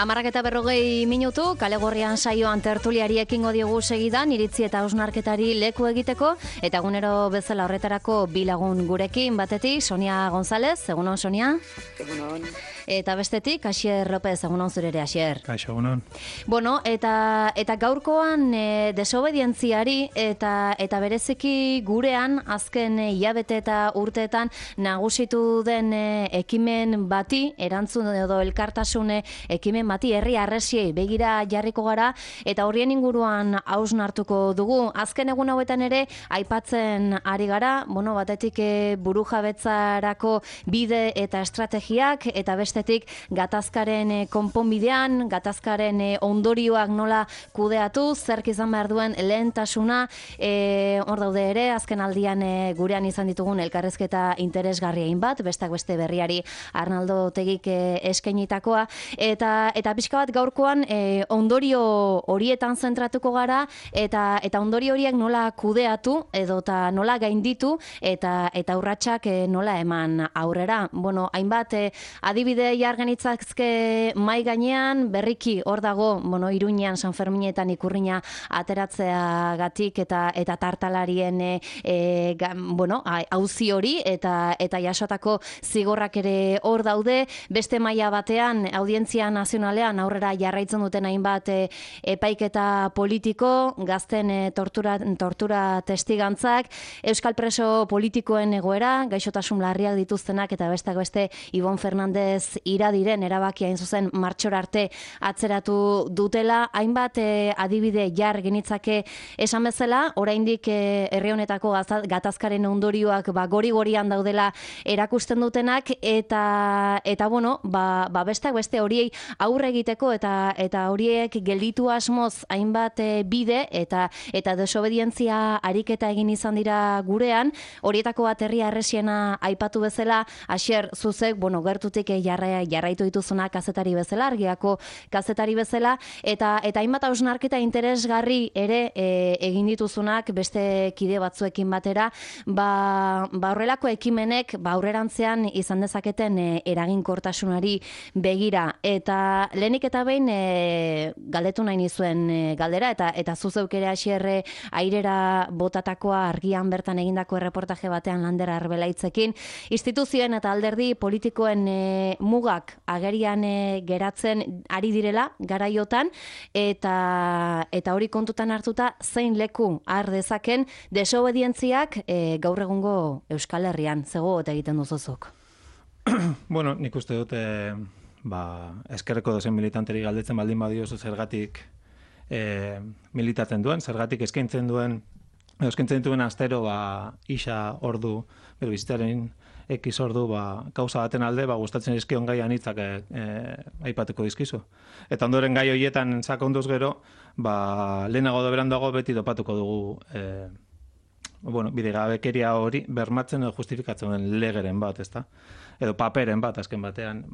10:40 kale gorrian saioan tertuliari ekingo diogu segidan, iritzi eta hausnarketari leku egiteko, eta egunero bezala horretarako bi lagun gurekin, batetik Sonia González, egunon Sonia. Egunon. Eta bestetik Asier López, egunon zure ere Asier. Kaixo, egunon. Bueno, eta gaurkoan desobedientziari eta bereziki gurean azken hilabete eta urteetan nagusitu den ekimen bati, erantzun edo elkartasun ekimen bati, herri harresiei begira jarriko gara, eta horien inguruan hausnartuko dugu. Azken egun hauetan ere aipatzen ari gara, bueno, batetik burujabetzarako bide eta estrategiak, eta bestetik gatazkaren konponbidean, gatazkaren ondorioak nola kudeatu, zerk izan behar duen lehentasuna, hor daude ere, azken aldian gurean izan ditugun elkarrezketa interesgarriain bat, bestak beste berriari Arnaldo Tegik eskainitakoa, eta pixka bat gaurkoan ondorio horietan zentratuko gara, eta ondorio horiek nola kudeatu, edota nola gainditu, eta urratsak nola eman aurrera. Bueno, hainbat adibide jargenitzazke mai gainean, berriki hor dago, bueno, Iruñean, San Ferminetan ikurrina ateratzeagatik eta tartalarien bueno, auzi hori eta jasotako zigorrak ere hor daude. Beste maila batean, Audientzia Nazionalean aurrera jarraitzen duten hainbat epaiketa politiko, gazten tortura testigantzak, euskal preso politikoen egoera, gaixotasun larriak dituztenak, eta besteak beste Ibon Fernandez iradiren erabakia hain zuzen martxora arte atzeratu dutela. Hainbat adibide jar genitzake esan bezala, oraindik herri honetako gatazkaren ondorioak gori-gorian daudela erakusten dutenak, eta bueno, bestak beste horiei aurre egiteko eta horiek gelditu asmoz hainbat bide eta desobedientzia ariketa egin izan dira gurean. Horietako bat herri harresiena aipatu bezala, Asier, zuzek, bueno, gertutik jarraitu dituzuna kazetari bezala, Argiako kazetari bezala, eta hainbat hausnarketa interesgarri ere egin dituzunak beste kide batzuekin batera, horrelako ekimenek aurrerantzean izan dezaketen eraginkortasunari begira. Eta lehenik eta behin galdetu nahi nizuen galdera, eta zuzeuk ere Asierre airera botatakoa Argian bertan egindako erreportaje batean Lander Arbelaitzekin, instituzioen eta alderdi politikoen mugak agerian geratzen ari direla garaiotan, eta hori kontutan hartuta zein leku har dezaken desobedientziak gaur egungo Euskal Herrian, zego eta egiten duzuzuk. Bueno, nik uste dut eskerreko dozen militanteri galdetzen baldin badiozu zergatik militatzen duen, zergatik eskaintzen dituen astero isa ordu, bero bizitzaren X ordu kauza baten alde, gustatzen dizkion gai anitzak aipatuko dizkizu. Eta ondoren gai horietan sakonduz gero, lehenago berandago beti topatuko dugu bidegabekeria hori bermatzen edo justifikatzen den legeren bat, ezta? Edo paperen bat, azken batean,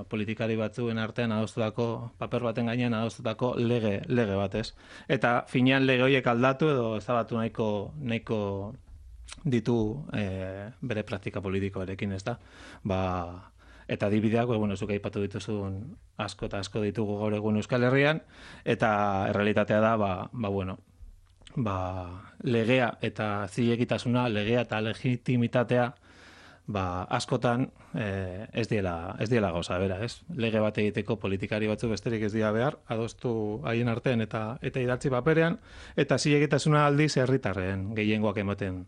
politikari batzuen artean adostutako, paper baten gainean adostutako lege bat, ez? Eta finean lege horiek aldatu edo ezabatu nahiko ditu bere praktika politikoarekin, ez da? Eta adibideak, zuk aipatu dituzun asko eta asko ditugu gaur egun Euskal Herrian, eta errealitatea da, legea eta zilegitasuna, legea eta legitimitatea, askotan ez diela gauza bera, ez? Lege bat egiteko politikari batzu besterik ez dira behar, adostu haien artean eta idatzi paperean, eta zilegitasuna aldiz herritarren gehiengoak ematen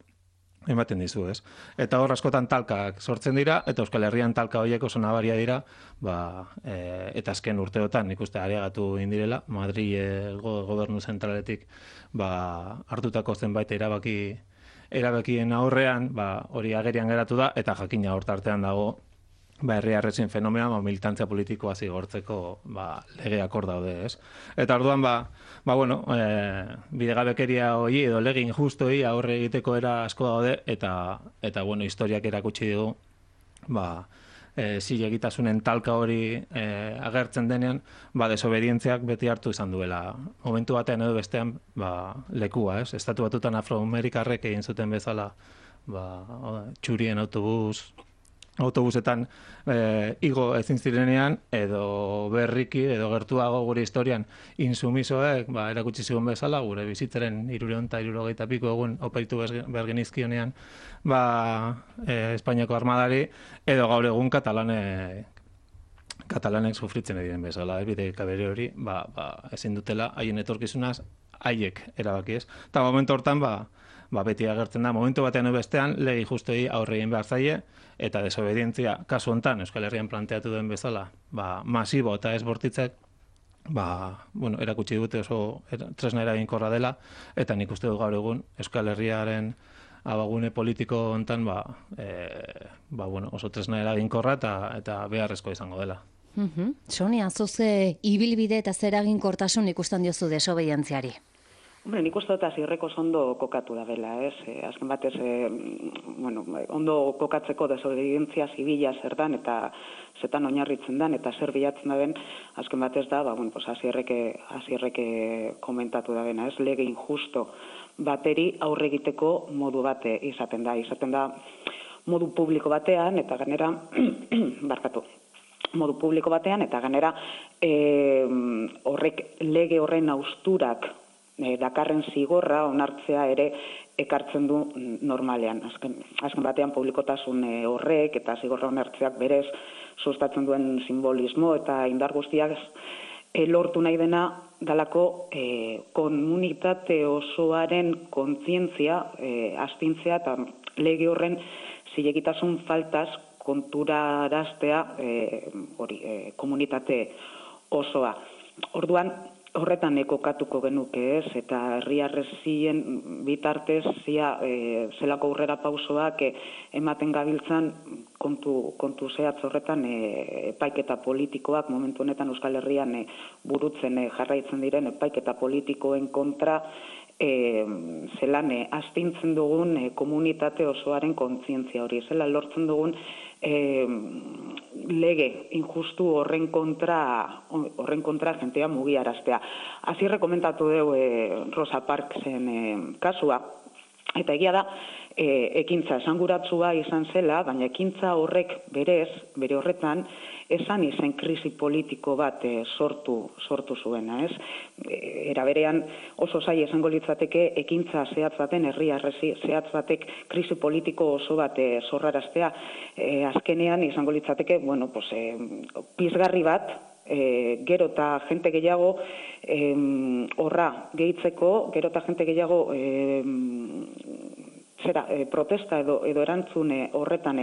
dizu, ez? Eta hor askotan talkak sortzen dira, eta Euskal Herrian talka horiek oso nabaria dira, eta azken urteotan ikuste areagatu indirela, Madrilgo gobernu zentraletik hartutako zenbait erabakien aurrean, hori agerian geratu da, eta jakina hortartean dago, herri harresien fenomena, militantzia politikoa zigortzeko legeak hor daude, ez? Eta orduan, bidegabekeria hori edo lege injustoi aurre egiteko era asko daude, eta historiak erakutsi dugu, zilegitasunen talka hori agertzen denean, desobedientziak beti hartu izan duela. Momentu batean edo bestean lekua, ez? Estatu Batutan afroamerikarrek egin zuten bezala txurien autobus autobusetan igo ezin zirenean, edo berriki, edo gertuago gure historian insumisoek, erakutsi zigun bezala, gure bizitzaren 360 piko egun oparitu behar genizkionean, Espainiako armadari, edo gaur egun katalanek sufritzen diren bezala, bide kabere hori, ezin dutela haien etorkizunaz, haiek erabaki ez. Eta momentu hortan, beti agertzen da, momentu batean bestean, legi justoi aurreien behar zaie, eta desobedientzia kasu hontan Euskal Herrian planteatu duen bezala, masibo eta ez bortitzek, erakutsi dute oso tresna eraginkorra dela, eta nik uste dut gaur egun Euskal Herriaren abagune politiko hontan, oso tresna eraginkorra eta beharrezko izango dela. Sonia, zuze ibilbide eta zer eraginkortasun ikusten diozu desobedientziari? Hombre, nik uste dut azirreko ondo kokatu da bela, ez? Azken batez, ondo kokatzeko desobedientzia zibila zer dan, eta zetan oinarritzen dan, eta zer bilatzen da den, azken batez da, azirreke komentatu da bena, ez? Lege injusto bateri aurre egiteko modu bate izaten da modu publiko batean, eta ganera, modu publiko batean, eta ganera, lege horren austurak dakarren zigorra onartzea ere ekartzen du normalean. Azken batean publikotasun horrek eta zigorra onartzeak berez sustatzen duen simbolismo eta indar guztiak lortu nahi dena dalako komunitate osoaren kontzientzia astintzea eta lege horren zilegitasun faltaz konturaraztea komunitate osoa. Orduan, horretan kokatuko genuke ez, eta herriarrezien bitartez zelako aurrera pausoak ematen gabiltzan kontu zehatz horretan epaiketa politikoak momentu honetan Euskal Herrian burutzen jarraitzen diren epaiketa politikoen kontra zelan astintzen dugun komunitate osoaren kontzientzia hori, zelan lortzen dugun lege injustu horren kontra jentea mugiaraztea. Azirre komentatu dugu Rosa Parksen kasua, eta egia da, ekintza esanguratsua izan zela, baina ekintza horrek bere horretan, esan izen krisi politiko bat sortu zuena, ez? Era berean oso zaila esango litzateke ekintza zehatz baten, herriarrezi zehatz batek krisi politiko oso bat sorraraztea. Azkenean izango litzateke, pizgarri bat, gero eta jente gehiago horra gehitzeko, gero eta jente gehiago protesta edo erantzun horretan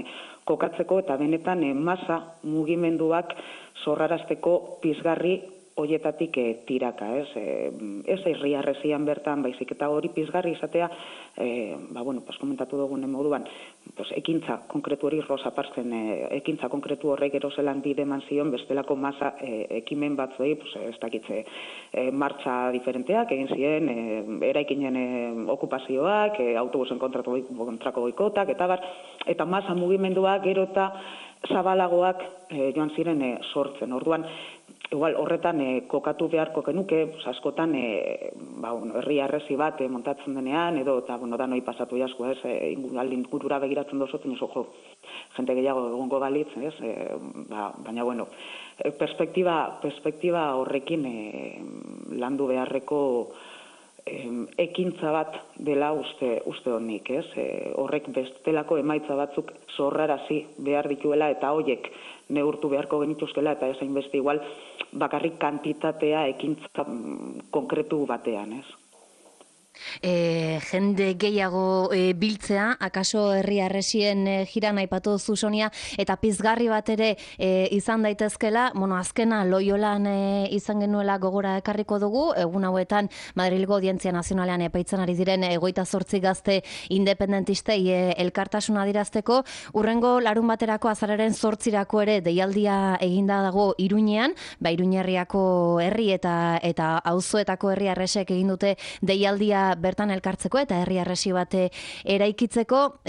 kokatzeko eta benetan masa mugimenduak sorrarazteko pizgarri hoietatik tiraka, ez? Ez herriarrezian bertan, baizik eta hori pizgarri izatea, komentatu dugun moduan, ekintza konkretu hori Rosa Parksen ekintza konkretu horrek gero zelan bide eman zion bestelako masa ekimen batzuei, ez dakitze, martxa diferenteak egin ziren, eraikinen okupazioak, autobusen kontrako boikotak, eta masa mugimenduak gero eta zabalagoak joan ziren sortzen. Orduan, igual horretan kokatu beharko genuke, askotan herriarrezi bat montatzen denean, edo eta danoi pasatu jasko, ez, ingurura begiratzen dozotzen, jente gehiago egongo balitz, ez, baina, perspektiba horrekin landu beharreko ekintza bat dela uste honik, ez? Horrek bestelako emaitza batzuk sorrarazi behar dituela eta hoiek neurtu beharko genituzkela eta ezain beste igual bakarrik kantitatea ekintza konkretu batean, ez? Jende gehiago biltzea, akaso herriarresien jiran aipatu duzu Sonia, eta pizgarri bat ere izan daitezkela, azkena Loiolan izan genuela gogora ekarriko dugu, egun hauetan Madrilgo Audientzia Nazionalean epaitzen ari diren 28 gazte independentistei elkartasuna adierazteko, urrengo larun baterako azararen 8irako ere deialdia eginda dago Iruñean, Iruñerriako herri eta auzoetako herriarresek egin dute deialdia dira bertan elkartzeko eta herri harresi bat eraikitzeko.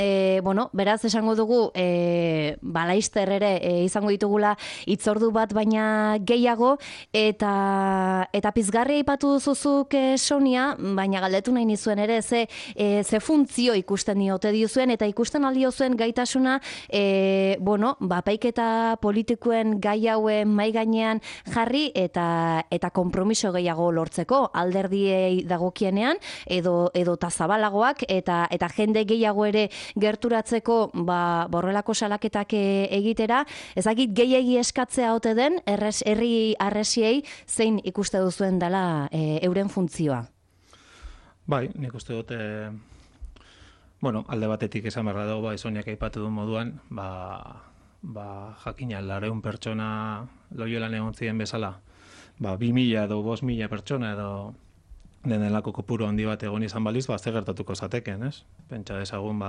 Bueno, beraz esango dugu laizter ere izango ditugula hitzordu bat baina gehiago, eta pizgarri aipatu duzuzuk Sonia, baina galdetu nahi nizuen ere ze funtzio ikusten diote diozuen, eta ikusten aldiozuen gaitasuna epaiketa politikoen gai hauen mai gainean jarri eta konpromiso gehiago lortzeko alderdiei dagokienean edo zabalagoak eta jende gehiago ere gerturatzeko borrelako salaketak egitera. Ezakit gehiegi eskatzea ote den herri harresiei zein ikuste duzuen dela euren funtzioa? Bai, nik uste dut alde batetik esan beharra dago, Soniak aipatu du moduan, jakina 200 pertsona Loiolan egon ziren bezala, 2000 edo 5000 pertsona edo denelako kopuru handi bat egon izan baliz, ze gertatuko zateken, ez? Pentsa dezagun,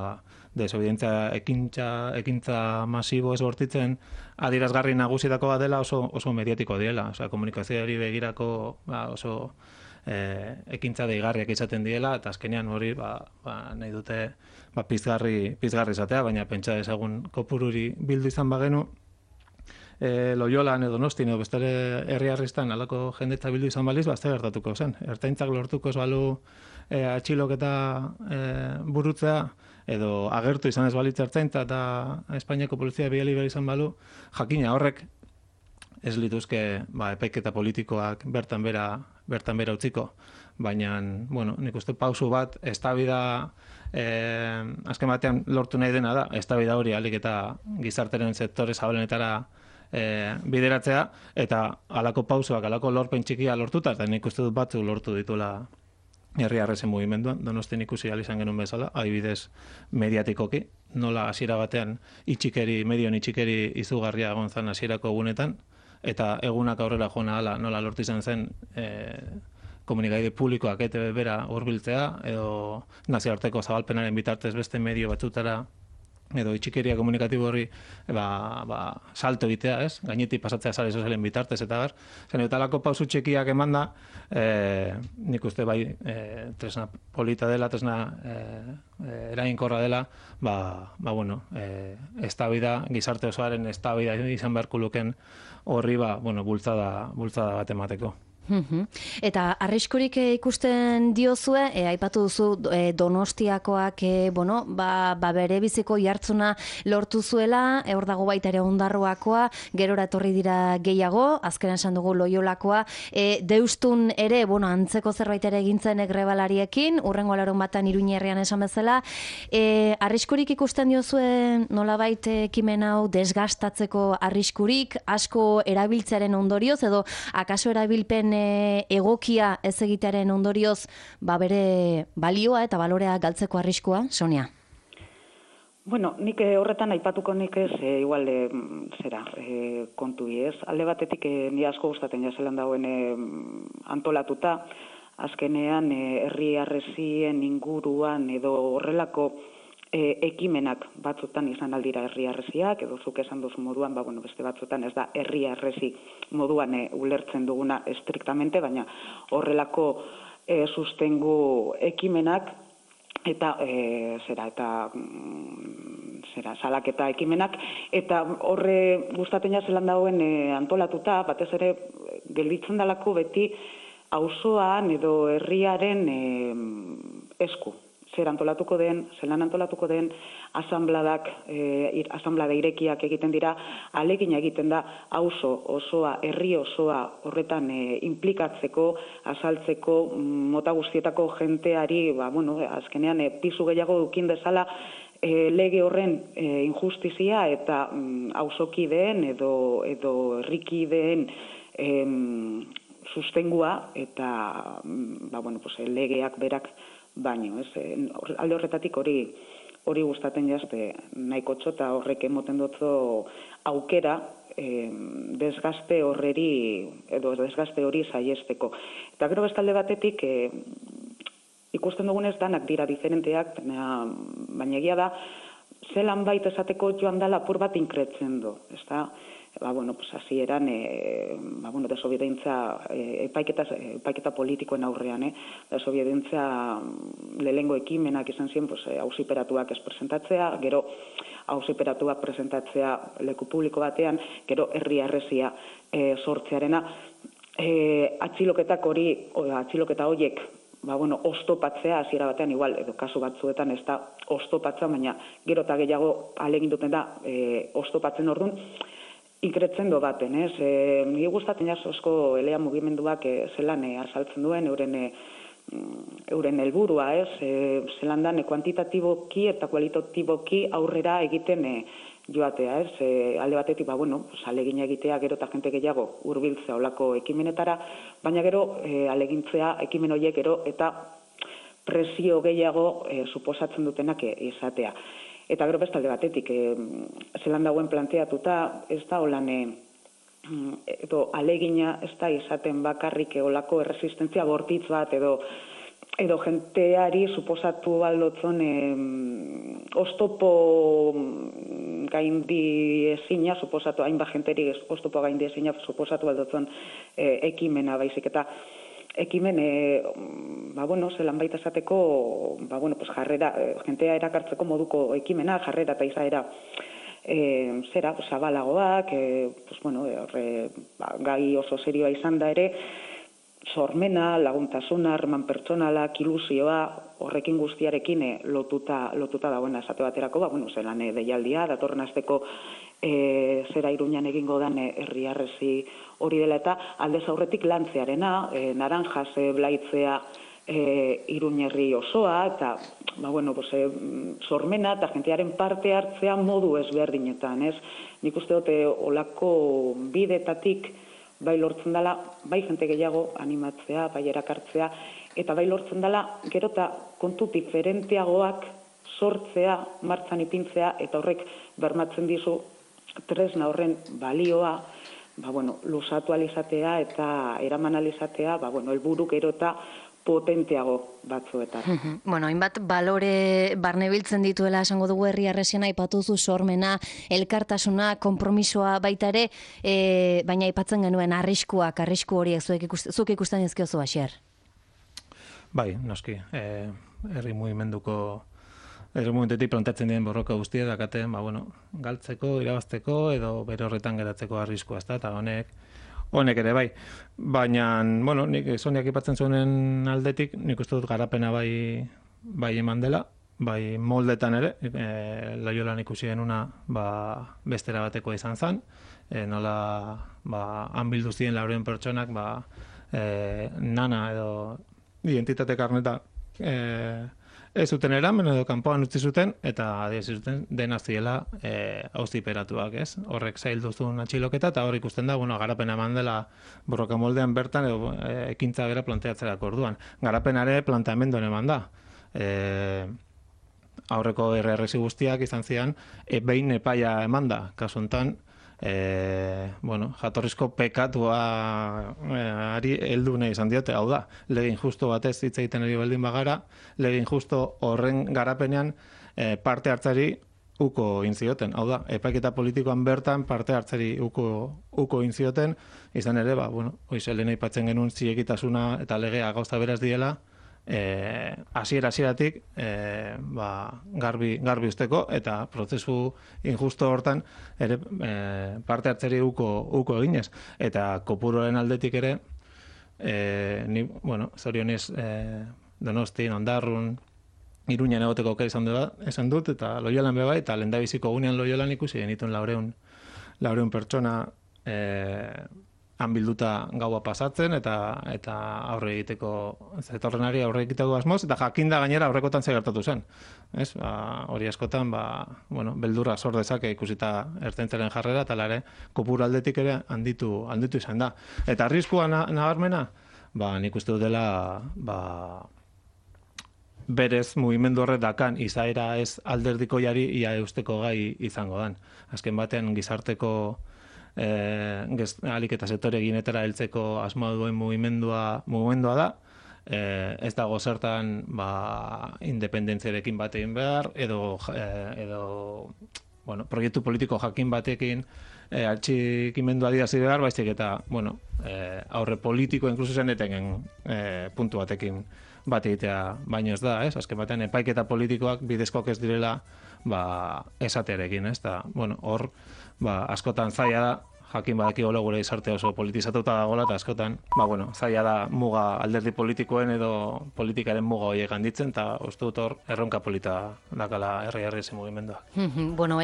desobedientzia ekintza masibo ez bortitzen adierazgarri nagusietako bat dela oso mediatiko diela, komunikazioari begirako oso ekintza deigarriak izaten diela, eta azkenean hori nahi dute pizgarri izatea, baina pentsa dezagun kopururi bildu izan bagenu, Loiolan edo Donostian edo beste herri harristan alako jendetza bildu izan baliz, ze gertatuko zen. Ertzaintzak lortuko ez balu atxiloketa burutzea, edo agertu izan ez balitz ertzaintza eta Espainiako polizia bidali behar izan balu, jakina horrek ez lituzke epaiketa politikoak bertan bera utziko. Baina, nik uste pausu bat, eztabaida azken batean lortu nahi dena da, eztabaida hori alik eta gizarteren sektore zabalenetara bideratzea, eta halako pausoak, halako lorpen txikia lortuta, eta nik uste dut batzu lortu dituela herri harresen mugimenduan, Donostian ikusi izan genuen bezala, adibidez mediatikoki, nola hasiera batean medion itxikeri izugarria egon zen hasierako egunetan, eta egunak aurrera joan ahala nola lortu izan zen komunikabide publikoak ETB bera hurbiltzea, edo nazioarteko zabalpenaren bitartez beste medio batzutara edo itxikeria komunikatibo horri salto egitea, ez? Gainetik pasatzea sare sozialen bitartez eta bar. Zenetalako pausu txekiak emanda, nik uste tresna polita dela, tresna eraginkorra dela, eztabaida, gizarte osoaren eztabaida izan beharko luken horri bultzada bat emateko. Eta arriskurik ikusten diozue, aipatu duzu Donostiakoak bere biziko jartzuna lortu zuela, hor dago baita ere Ondarroakoa, gerora etorri dira gehiago, azkenean esan dugu Loiolakoa, Deustun ere, antzeko zerbait ere egintzen grebalariekin, urrengo larun batan Iruñerrian esan bezala, arriskurik ikusten diozue nolabait ekimen hau desgastatzeko arriskurik, asko erabiltzearen ondorioz, edo akaso erabilpen egokia ez egitearen ondorioz bere balioa eta balorea galtzeko arriskua, Sonia? Nik horretan aipatuko nik ez igual kontu ez. Alde batetik ni asko gustatzen jazelan dauen antolatuta, azkenean herri harresien inguruan edo horrelako ekimenak batzutan izan aldira herri harresiak, edo zuk esan duzu moduan, beste batzutan ez da herri harresi moduan ulertzen duguna estriktamente, baina horrelako sustengu ekimenak eta salaketa ekimenak, eta horre gustatzen jazelan dauen antolatuta, batez ere gelditzen dalako beti auzoan edo herriaren esku. Zelan antolatuko den, asanblada irekiak egiten dira, ahalegina egiten da auzo osoa, herri osoa horretan inplikatzeko, azaltzeko, mota guztietako jenteari, azkenean pisu gehiago dukin dezala lege horren injustizia eta auzokideen edo herrikideen sustengua eta legeak berak baino, alde horretatik hori gustatzen jazte nahiko txota horrek emoten dutzo aukera desgaste hori saiesteko. Eta gero bestalde batetik ikusten dugunez danak dira diferenteak, baina egia da zelan bait esateko joan dela apur bat inkretzen du, ezta? pues hasieran desobedientzia epaiketa politikoen aurrean, desobedientzia lehengo ekimenak izan ziren, auziperatuak ez presentatzea, gero auziperatuak presentatzea leku publiko batean, gero herri harresia sortzearena, atxiloketa horiek oztopatzea hasiera batean igual, edo kasu batzuetan ez da oztopatzea, baina gero eta gehiago ahalegin duten da oztopatzen orduan, inkretzen do baten, ez? Nire gustatzen asko elea mugimenduak zelan azaltzen duen, euren helburua, ez? Zelan dan kuantitatiboki eta kualitatiboki aurrera egiten joatea, ez? Alde batetik, alegin egitea gero eta jente gehiago hurbiltzea olako ekimenetara, baina gero alegintzea ekimen horiek gero eta presio gehiago suposatzen dutenak izatea. Eta gero beste alde batetik, zelan dagoen planteatuta, ez da holan, edo alegina ez da izaten bakarrik olako erresistentzia bortitz bat, edo jenteari suposatu baldotzon oztopo gaindi ezina, suposatu hainbat jenteri oztopo gaindi ezina suposatu baldotzon ekimena baizik eta ekimen, zelan baita esateko, jarrera, jentea erakartzeko moduko ekimena, jarrera eta izaera zabalagoak, gai oso serioa izan da ere, sormena, laguntasuna, harreman pertsonalak, ilusioa, horrekin guztiarekin lotuta dagoena esate baterako, zelan deialdia, datorren asteko zera Iruñan egingo dan herri harresi hori dela eta aldez aurretik lantzearena, naranjas blaitzea Iruñerri osoa, eta sormena eta jentearen parte hartzea modu ezberdinetan, ez? Nik uste dute olako bidetatik bai lortzen dela, bai jente gehiago animatzea, bai erakartzea, eta bai lortzen dela gero eta kontu diferenteagoak sortzea, martzan ipintzea, eta horrek bermatzen dizu tresna horren balioa, luzatu alizatea eta eraman alizatea, helburu gero eta potenteago batzuetan. Hainbat balore barnebiltzen dituela esango dugu herri harresiena, aipatuzu sormena, elkartasuna, konpromisoa baita ere, baina aipatzen genuen arrisku horiek zuk ikusten dizkiozu, Asier? Bai, noski, herri mugimendutik plantatzen diren borroka guztia dakaten, galtzeko, irabazteko edo bere horretan geratzeko arriskua, eta honek ere bai. Baina, nik Soniak ipatzen zuenen aldetik, nik uste dut garapena bai eman dela, bai moldetan ere, Loiolan ikusi genuna bestera batekoa izan zen, nola han bildu ziren laurehun pertsonak nana edo identitate karneta ez zuten eramen edo kanpoan utzi zuten, eta adierazi zuten dena ziela auziperatuak, ez? Horrek zaildu zuen atxiloketa, eta hor ikusten da, garapena eman dela borroka moldean bertan edo ekintza bera planteatzerako orduan. Garapenare planteamenduan eman da. Aurreko RRS guztiak izan zian, behin epaia eman da, kasu honetan, jatorrizko pekatuari heldu nahi izan diote, hau da, lege injusto batez hitz egiten ari baldin bagara, lege injusto horren garapenean parte hartzari uko inzioten, hau da, epaiketa politikoan bertan parte hartzari uko inzioten, izan ere, lehen aipatzen genuen zilegitasuna eta legea gauza beraz diela, hasieratik garbi usteko eta prozesu injusto hortan ere parte hartzeri uko eginez, eta kopuroaren aldetik ere ni, zorionez Donostin, Ondarrun, Iruñan egoteko aukera esan dut, eta Loiolan beba, eta lehendabiziko gunean Loiolan ikusi genituen 400 pertsona han bilduta gaua pasatzen eta aurre egiteko zetorrenari aurre egiteko asmoz, eta jakinda gainera aurrekotan ze gertatu zen. Ez? Hori askotan, beldurra sor dezake ikusita ertzaintzaren jarrera, eta ere kopuru aldetik ere handitu izan da. Eta arriskua nabarmena, nik uste dutela berez mugimendu horrek dakan izaera ez alderdikoiari ia eusteko gai izango dan. Azken batean gizarteko alik eta sektore eginetara heltzeko asmoa duen mugimendua da, ez dago zertan independentziarekin bat egin behar, edo proiektu politiko jakin batekin atxikimendu adierazi behar, baizik eta, aurre politiko inkluso zen etenen puntu batekin bat egitea baino ez da, ez? Azken batean epaiketa politikoak bidezkoak ez direla esatearekin, ez? Eta, hor, askotan zaila da, jakin badakiko gure izarte oso politizatuta dagoela, eta askotan, zaila da muga alderdi politikoen edo politikaren muga horiek handitzen, eta uste dut hor erronka polita dakala herri ezi mugimenduak.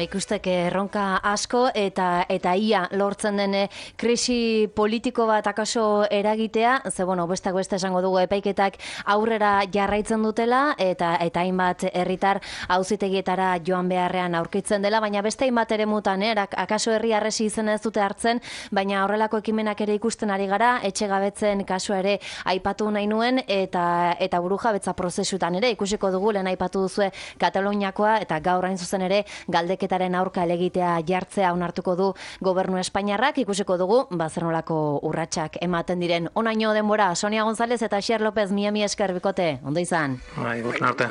Ikustek erronka asko eta ia lortzen den krisi politiko bat akaso eragitea, ze bestak beste esango dugu epaiketak aurrera jarraitzen dutela, eta hainbat herritar auzitegietara joan beharrean aurkitzen dela, baina beste hainbat eremutan, akaso herri arresi izen ez dute hartzen, baina horrelako ekimenak ere ikusten ari gara, etxegabetzen kasua ere aipatu nahi nuen, eta burujabetza prozesutan ere ikusiko dugu, lehen aipatu duzue Kataluniakoa, eta gaur hain zuzen ere galdeketaren aurka elegitea jartzea onartuko du gobernu Espainiarrak, ikusiko dugu, zer nolako urratsak ematen diren. Onaino denbora, Sonia González eta Xier López, mi esker bikote, ondo izan. Bai, guztien arte.